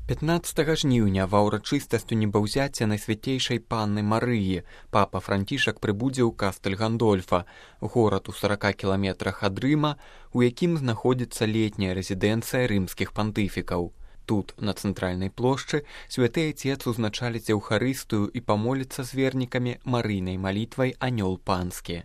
15 жніўня ва ўрачыстасцю небаўзяцця Найсвятейшай Панны Марыі папа Францішак прыбудзе ў Кастэль-Гандольфа, горад у 40 кіламетрах ад Рыма, у якім знаходзіцца летняя рэзідэнцыя рымскіх пантыфікаў. Тут, на цэнтральнай плошчы, святы Айцец узначаліць Еўхарыстыю і памоліцца з вернікамі Марыйнай малітвай «Анёл панскі».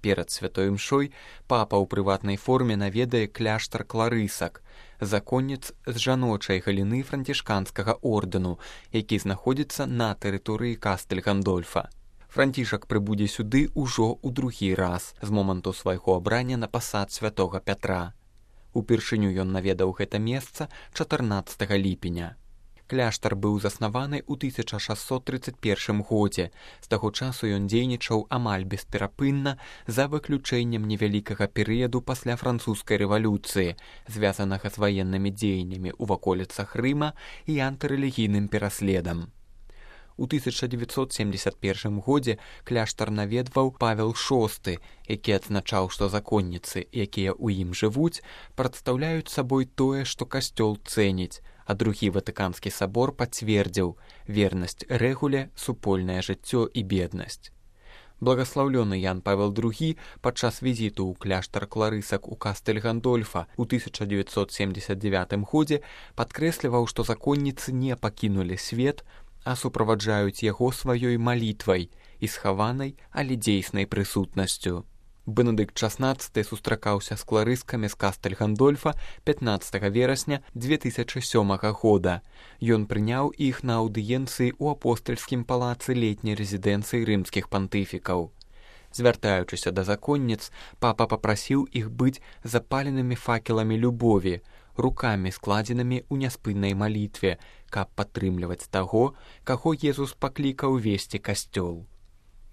Перад святой імшой папа ў прыватнай форме наведае кляштар кларысак, законніц з жаночай галіны францішканскага ордэну, які знаходзіцца на тэрыторыі Кастэль-Гандольфа. Францішак прыбудзе сюды ўжо ў другі раз з моманту свайго абрання на пасад святога Пятра. Упершыню ён наведаў гэта месца 14 ліпеня. Кляштар быў заснаваны ў 1631 годзе. З таго часу ён дзейнічаў амаль бесперапынна за выключэннем невялікага перыяду пасля французскай рэвалюцыі, звязанага з ваеннымі дзеяннямі ў ваколіцах Рыма і антырэлігійным пераследам. У 1971 годзе кляштар наведваў Павел VI, які адзначаў, што законніцы, якія ў ім жывуць, прадстаўляюць сабой тое, што касцёл цэніць, а другі Ватыканскі сабор пацвердзіў вернасць рэгуле, супольнае жыццё і беднасць. Благаслаўлёны Ян Павел II падчас візіту ў кляштар кларысак у Кастэль-Гандольфа ў 1979 годзе падкрэсліваў, што законніцы не пакінулі свет, а суправаджаюць яго сваёй малітвай і схаванай, але дзейснай прысутнасцю. Бенедыкт XVI сустракаўся з кларыскамі з Кастэль-Гандольфа 15 верасня 2007 года. Ён прыняў іх на аўдыенцыі ў апостальскім палацы летняй рэзідэнцыі рымскіх пантыфікаў. Звяртаючыся да законніц, папа папрасіў іх быць запаленымі факеламі любові, рукамі складзенымі ў няспыннай малітве, каб падтрымліваць таго, каго Езус паклікаў весці касцёл.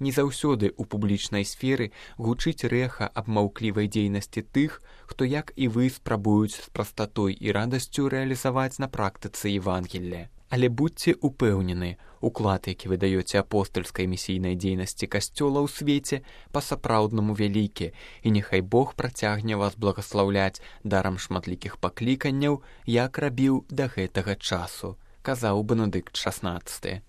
Не заўсёды ў публічнай сферы гучыць рэха аб маўклівай дзейнасці тых, хто, як і вы, спрабуюць з прастатой і радасцю рэалізаваць на практыцы Евангелле. Але будьце упэўнены, уклад, які вы даёце апостальскай місійнай дзейнасці касцёла ў свеце, па-сапраўднаму вялікі, і няхай Бог працягне вас благаслаўляць дарам шматлікіх пакліканняў, як рабіў да гэтага часу, казаў Бенедыкт XVI.